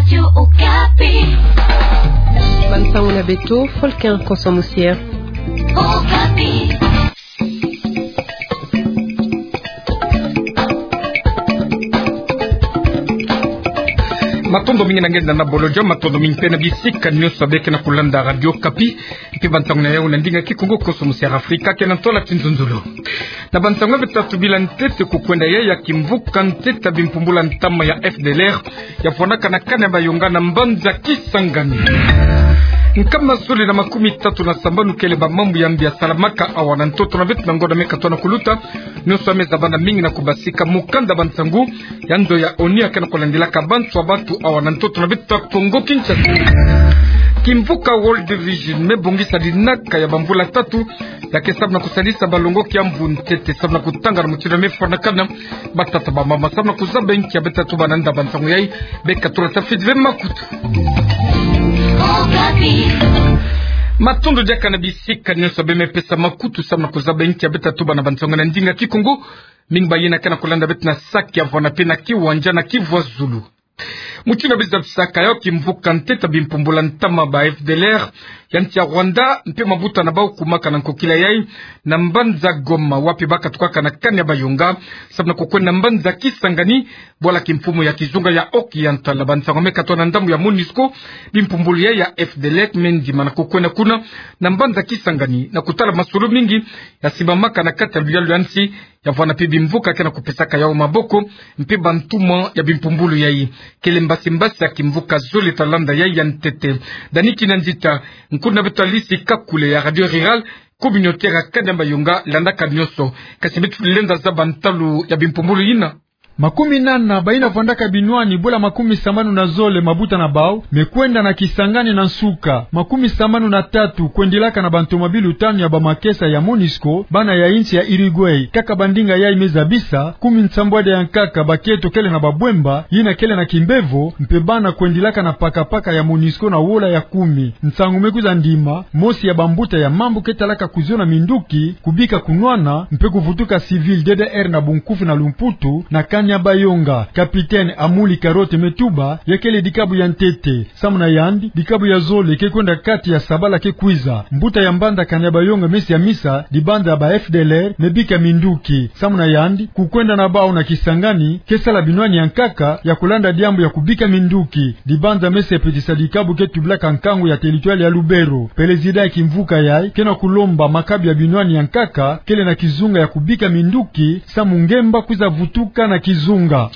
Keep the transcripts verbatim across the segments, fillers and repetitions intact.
Radio Okapi. Bansango na beto, Folkin Koso Musier. Okapi. Matondo mingi na nge na bolodjo, matondo mingi mpe na bisika nyonso beke na kulanda Radio Okapi. Mpe bansango na yau na ndinga Kikongo, Koso Musier Afrika, ke na ntola kinzonzolo. Na bansango beto tatu bila ntete, kukwenda yai ya kimvuka ntete ya bimpumbulu ya ntama ya F D L R, ya fwanaka na kani ya Bayonga na mbanza Kisangani. Nkama zole na makumi tatu na sambanu kele bamambu ya mbi ya salamaka awa na ntoto na beto na ngonda me katoa na kuluta. Nyonso ya me zabana mingi na kubasika mukanda bansango ya nzo ya ONU ya ke na kulandilaka bantu ya bantu awa na ntoto na beto ya Kongo Kinshasa. Kimvuka World Vision me bongisa linaka ya bamvula tatu, ya ke samu na kusalisa balongoki ya mvu ntete, samu na kutanga na mutindu ya me fwanakana batata bamama, samu na kuzaba inki ya beta tubana nda bansango yai. Beka tula tafiti ve makutu. Matondo diaka na bisika nyonso be me pesa makutu, samu na kuzaba inki ya beta tubana bansango na ndinga Kikongo. Mingi bayina ke na kulanda beto na saki ya vwanda mpe na kiwanja na Kivu ya Zulu. Mutindu ya bizabisaka yau, kimvuka ntete ya bimpumbulu ya ntama ba F D L R ya nsi ya Rwanda mpe mabuta na bau kumaka na nkokila yai na mbanza Goma, wapi bakatukaka na kani ya Bayonga, samu na kukwenda na mbanza Kisangani, bwala kimfumu ya kizunga ya Haut-Oriental. Bansango me katoa na ndambu ya MONUSCO, bimpumbulu yai ya F D L R me ndima na kukwenda kuna na mbanza Kisangani na kutala masolo mingi ya sibamaka na kati ya luyalu ya nsi, ya vwanda mpe bimvuka ke na kupesaka yau maboko, mpe bantuma ya bimpumbulu yai. Kele mbasi-mbasi ya kimvuka zole ta landa yai ya ntete. Dani Kinanzita, nkulu na beto Alice Kakule ya Radio Rurale Communautaire ya kani ya Bayonga, landaka nyonso. Kasi beto lenda zaba ntalu ya bimpumbulu yina. Makumi nana bayina vwandaka binwani bula makumi sambanu na zole mabuta na bau me kwenda na Kisangani na nsuka. Makumi sambanu na tatu kwendilaka na bantomabilu tanu ya bamakesa ya MONUSCO, bana ya insi ya Uruguay. Kaka bandinga yai me zabisa, kumi nsambwadi ya nkaka bakento kele na babwemba, yina kele na kimbevo, mpe bana kwendilaka na pakapaka ya MONUSCO na wola ya kumi. Nsangu me kwiza ndima, mosi ya bambuta ya mambu ke talaka kuziona minduki, kubika kunwana, mpe kuvutuka civil D D R na bunkufi na lumputu, na kani ya Bayonga. Capitaine Amuli Carotte me tuba, ya kele dikabu ya ntete. Samu na yandi, dikabu ya zole ke kwenda kati ya sabala ke kwiza. Mbuta ya mbanza kani ya Bayonga me siamisa, dibanza ya ba F D L R me bika minduki. Samu na yandi, kukwenda na bau na Kisangani ke sala binwani ya nkaka ya kulanda diambu ya kubika minduki. Dibanza me sepetisa dikabu ke tubilaka nkangu ya territoire ya Lubero. Président ya kimvuka yai ke na kulomba makabu ya binwani ya nkaka kele na kizunga ya kubika minduki, samu ngemba kwiza vutuka na kizunga.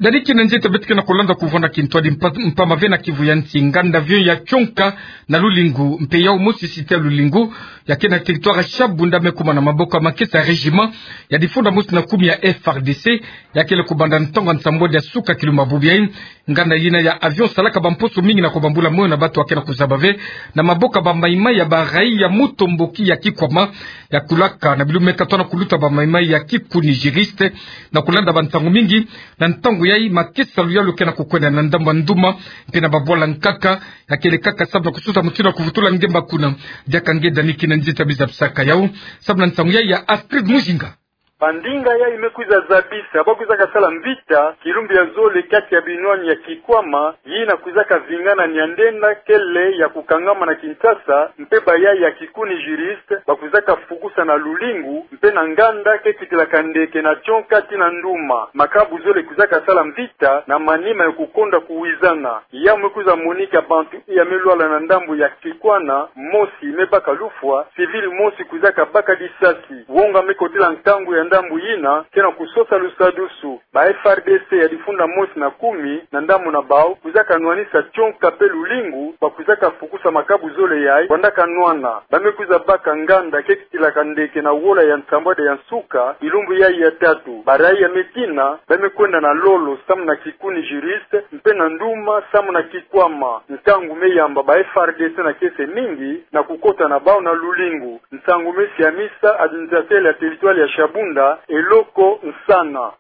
Dani Kinanzita, beto ke na kulanda kuvwanda kintwadi mpa-, mpamba ve na kivu ya nsi, nganda avion ya tsonka na Lulingu, mpe yau mosi site ya Lulingu, ya ke na territoire ya Shabunda, me kuma na maboko ya makesa ya régiment ya difunda mosi na kumi ya F R D C, ya kele kubanda ntangu ya nsambwadi ya suka kilumbu bubu yai. Nganda yina ya avion salaka bamposo mingi na kubambula moyo na bantu ya ke na kuzaba ve, na maboko ya ba maïmaï ya ba raïa mutomboki ya Kikwama, ya kulaka na bilumbu me katoa na kuluta ba maïmaï ya Kikuni Juriste, na kulanda bansangu mingi. Na ntangu yai, makesa luyalu ke na kukwenda na ndambu ya Nduma, mpe na babwala nkaka, ya kele kaka samu na kususa mutindu ya kuvutula ngemba kuna. Diaka nge Dani Kinanzita, bizabisaka yau samu na nsangu yai ya Astrid Mujinga. Bandinga yai me kwiza zabisa, ba kwizaka sala mvita kilumbu ya zole kati ya binwani ya Kikwama, yina kwizaka vingana niandenda kele ya kukangama na Kinshasa, mpe ba yai ya Kikuni Juriste ba kwizaka fukusa na Lulingu, mpe na nganda ke kitilaka ndeke na tsonka tii na Nduma. Makabu zole kwizaka sala mvita na manima ya kukonda kuwizana. Yawu me kwiza monika bantu iya me lwala na ndambu ya Kikwama, mosi me baka lufwa, civil mosi kwizaka baka disasi. Wonga me kotila nkangu ya ndambu yina, ke na kusosa lusadusu. Ba F R D C ya difunda mosi na kumi, na ndambu na bawu, kwizaka nwanisa tsonka mpe Lulingu, ba kwizaka fukusa makabu zole yai kwandaka nwana. Ba me kwiza baka nganda ke kitilaka ndeke na wola ya nsambwadi ya nsuka, kilumbu yai ya tatu. Ba raïa me tina, ba me kwenda na Lolo samu na Kikuni Juriste, mpe na Nduma samu na Kikwama. Nkangu me yamba ba F R D C na kiese mingi na kukota na bawu na Lulingu. Nsangu me siamisa administrateur ya territoire ya Shabunda, Eloko Nsana.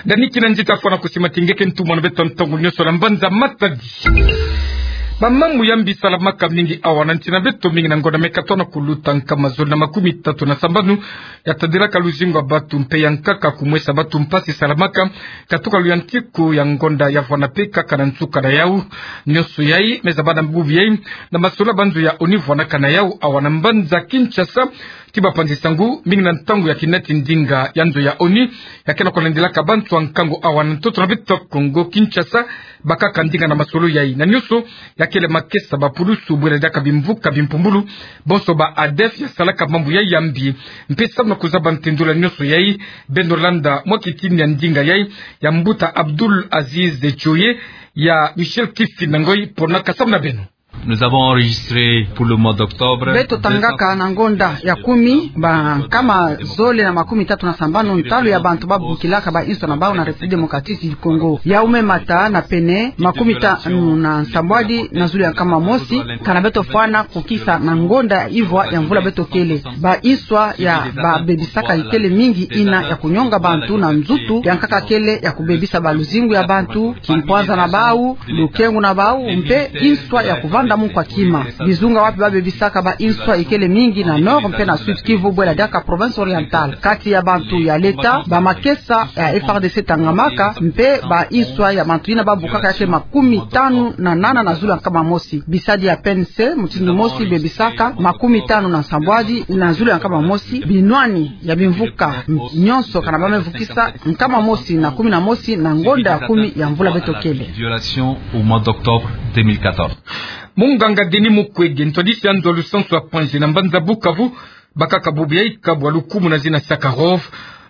Dani Kinanzita, fwana kusimatiri nge ke ntumwa na beto ntangu nyonso na mbanza Matadi. Bamambu ya mbi salamaka mingi awa na nsi na beto, mingi na ngonda mekatona kuluta nkama zole na makumi tatu na sambanu ya tadilaka luzingu ya batu mpe ya nkaka kumwesa batu mpasi salamaka katuka luyantiku ya ngonda ya vwana mpe kaka na nsuka na yau. Nionso yai meza bana bubu yai na masolo ya banzo ya ONU vwanaka na yau awa na mbanza Kinshasa. Ti bapanzi nsangu, mingi na ntangu ya kinati ndinga ya nzo ya ONU ya ke na kulandilaka bantu ya nkangu awa na ntoto na beto Kongo Kinshasa, bakaka ndinga na masolo yai. Na nionso ya kele makesa, bapulusu, bwela diaka bimvuka bimpumbulu, bonso ba ADF ya salaka mambu yai ya mbi. Mpe samu na kuzaba ntendula nionso yai, beno landa mwa kitini ya ndinga yai ya mbuta Abdul Aziz Djoye, ya Michel Kifinda Ngoyi ponaka samu na beno. Nous avons enregistré pour le mois d'octobre. Beto tangaka na ngonda ya kumi bankama zole na makumi tatu na sambanu ntalu ya bantu babukilaka ba inswa na bau na République Démocratique du Congo. Yau me mata na pene makumi tanu na nsambwadi na zulu ya nkama mosi, kana beto fwana kukisa na ngonda ivwa ya mvula beto kele. Ba inswa ya babebisaka ikele mingi, ina ya kunyonga bantu na nzutu, ya nkaka kele ya kubebisa baluzingu ya bantu, kimpwanza na bau, lukengu na bau, mpe inswa ya kuvanda mu nkwa kima. Bizunga wapi babebisaka ba inswa ikele mingi na Nord mpe na Sud Kivu, bwela diaka Province Orientale. Kati ya bantu ya leta, ba makesa ya FARDC tangamaka, mpe ba inswa ya bantu ina babukaka ya ke makumi tanu na nana na zulu ya nkama mosi. Bisadi ya PNC mutindu mosi bebisaka makumi tanu na nsambwadi na zulu ya nkama mosi. Binwani ya bimvuka nionso kana ba me vukisa nkama mosi na kumi na mosi na ngonda ya kumi ya mvula beto kele. Violation au mois d'octobre deux mille quatorze. Munganga Denis Mukwege, ntwadisi ya nzo ya lusansu ya Panzi na mbanza Bukavu, bakaka bubu yai kabu ya lukumu na zina Sakharov,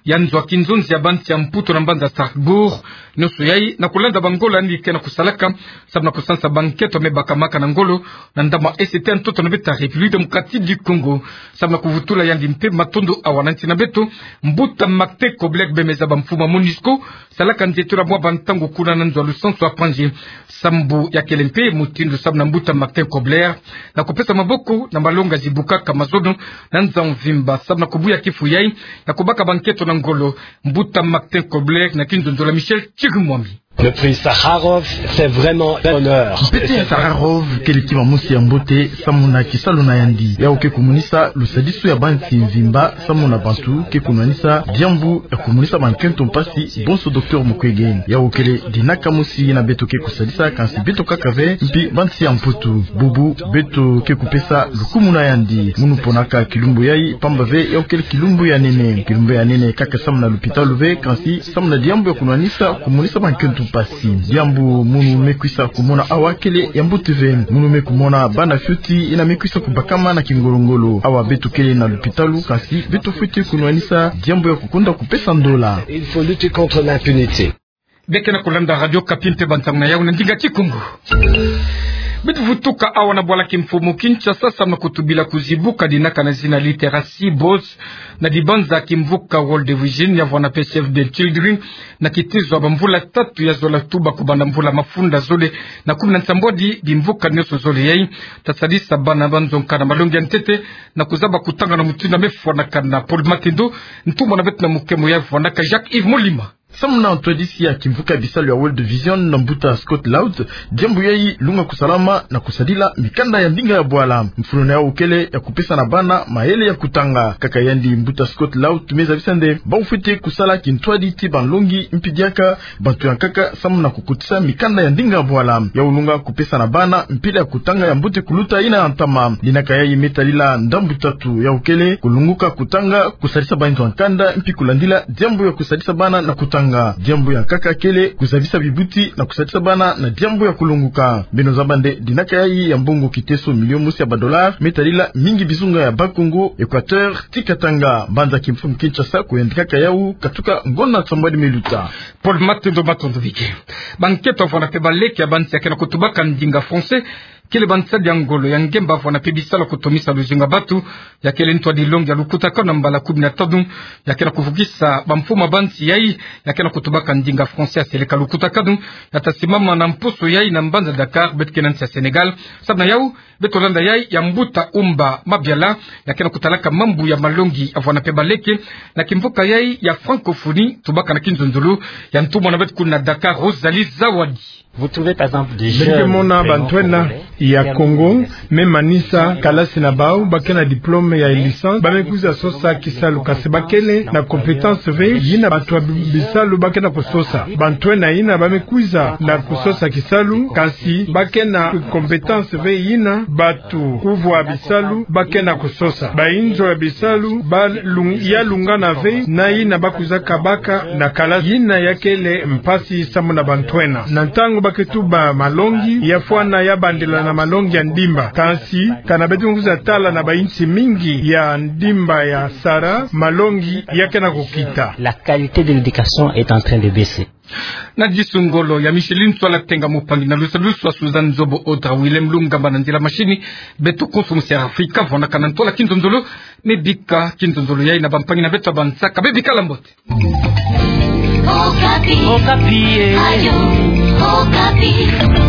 ya nzo ya kinzonzi ya bansi ya Mputu na mbanza Strasbourg. Nionso yai na kulanda bangola yandi ke na kusalaka samu na kusansa bankento me bakamaka na ngolo na ndambu ya Est ya ntoto na beto République Démocratique du Congo. Samu na kuvutula yandi mpe matondo awa na nsi na beto, mbuta Martin Kobler, bemeza ba mfumu ya MONUSCO salaka nzietolo ya mwa bantangu kuna na nzo ya lusansu ya Panzi. Sambu ya kele mpe mutindu samu na mbuta Martin Kobler na kupesa maboko na malongi zibukaka mazono na nza mvimba samu na kubuya kifu yai ya kubaka bankento na ngolo. Mbuta Martin Kobler na kinzonzolo ya Michel Chirimwami. Le prix Sakharov, c'est vraiment un honneur. Mpete ya Sakharov kele kima mosi ya mbote samu na kisalu na yandi. Yau ke kumonisa lusadisu ya bansi mvimba samu na bantu ke kunwanisa diambu ya kumonisa bankento mpasi, bonso docteur Mukwege. Yau kele dinaka mosi na beto ke kusadisa, kansi beto kaka ve, mpi bansi ya Mputu. Bubu beto ke kupesa lukumu na yandi. Munu ponaka kilumbu yai, pamba ve yau kele kilumbu ya nene. Kilumbu ya nene kaka samu na lupitalu ve, kansi samu na diambu ya kunwanisa, kumonisa bankento mpasi. Diambu munu me kwisa kumona awa kele ya mbote ve. Munu me kumona bana fioti ina me kwisa kubakama na kingolo-ngolo. Awa beto kele na lupitalu, kansi beto fwete kunwanisa diambu ya kukunda kupesa ndola. Il faut lutter contre l'impunité. Beno ke na kulanda Radio Okapi mpe bantangu na yau na ndinga Kikongo. Beto vutuka awa na bwala kimfumu Kinshasa samu na kutubila kuzibuka dinaka na zina Literacy Boss na dibanza kimvuka World Vision ya vwana mpe Save the Children, na kitizo ya bamvula tatu ya zola tuba kubanda mvula mafunda zole na kumi na nsambwadi, bimvuka nionso zole yai ta sadisa bana ba nzo nkaka na malongi ya ntete na kuzaba kutanga na mutindu ya me fwanakana. Paul Matendo, ntumwa na beto na mukemo ya vwanaka Jacques Yves Molima. Samu na ntwadisi ya kimvuka ya bisalu ya World Vision na mbuta Scott Loud, diambu yai lunga kusalama na kusadila mikanda ya ndinga ya bwala. Mfunu na yau kele ya kupesa na bana mayele ya kutanga. Kaka yandi mbuta Scott Loud me zabisa nde bau fwete kusala kintwadi ti banlongi mpi diaka bantu ya nkaka samu na kukotisa mikanda ya ndinga ya bwala. Yau lunga kupesa na bana mpila ya kutanga ya mbote kuluta ina ya ntama. Dinaka yai me tadila ndambu tatu. Yau kele kulunguka kutanga, kusadisa bainzo ya nkanda, mpi kulandila diambu ya kusadisa bana na kutanga. Diambu ya nkaka kele kuzabisa bibuti na kusadisa bana na diambu ya kulunguka. Beno zaba nde dinaka yai ya mbongo kiteso milio mosi ya badollar me tadila mingi bizunga ya Bas-Congo, Équateur ti Katanga. Mbanza kimfumu Kinshasa kuyandikaka yau katuka ngonda nsambwadi me luta. Paul Matendo, matondo mingi. Bankento ya vwana mpe baleke ya bansi ya ke na kutubaka ndinga français kele bansadi ya ngolo ya ngemba vwana mpe bisalu ya kutomisa luzingu ya batu. Ya kele ntwadi longi ya lukutakanu na mbala kumi na tanu ya ke na kuvukisa bamfumu ya bansi yai ya ke na kutubaka ndinga français ya seleka. Lukutakanu ya ta simama na mposo yai na mbanza Dakar, beto ke na nsi ya Sénégal. Samu na yau, beto landa yai ya mbuta Umba Mabiala, ya ke na kutalaka mambu ya malongi ya vwana mpe baleke na kimvuka yai ya francophonie, tubaka na kinzonzolo ya ntumwa na beto kuna na Dakar, Rosalie Zawadi. Vous trouvez, par exemple, des jeunes vraiment congolais. Beno ke mona bantu ena ya Kongo me manisa kalasi na bau, ba ke na diplôme ya licence, ba me kwiza sosa kisalu, kasi ba kele na compétence ve yina bantu ya bisalu ba ke na kusosa. Bantu ena yina ba me kwiza na kusosa kisalu, kasi ba ke na compétence ve yina bantu kuvwa bisalu ba ke na kusosa. Bayinzo ya bisalu ba lung-, ya lungana ve na yina ba kwizaka baka na kalasi. Yina ya kele mpasi samu na bantu ena. Na ntangu ba ke tuba malongi, ya fwana ya bandila na malongi ya ndimba. Kasi, kana beto kwiza tala na bayinsi mingi ya ndimba ya Sahara, malongi ya ke na kukita. La qualité de l'éducation est en train de baisser. Na disu ngolo ya Micheline Ntsoala Tenga, mopangi na lusa lusa Suzanne Nzobo, Audra Willem Lungamba na nzila mashini. Beto konso musi ya Afrika, vwanakana ntwala kinzonzolo, me bika kinzonzolo yayi na bampangi na beto ya bansaka. Be bikala mbote. Okapi. Okapi, eh. Radio Okapi.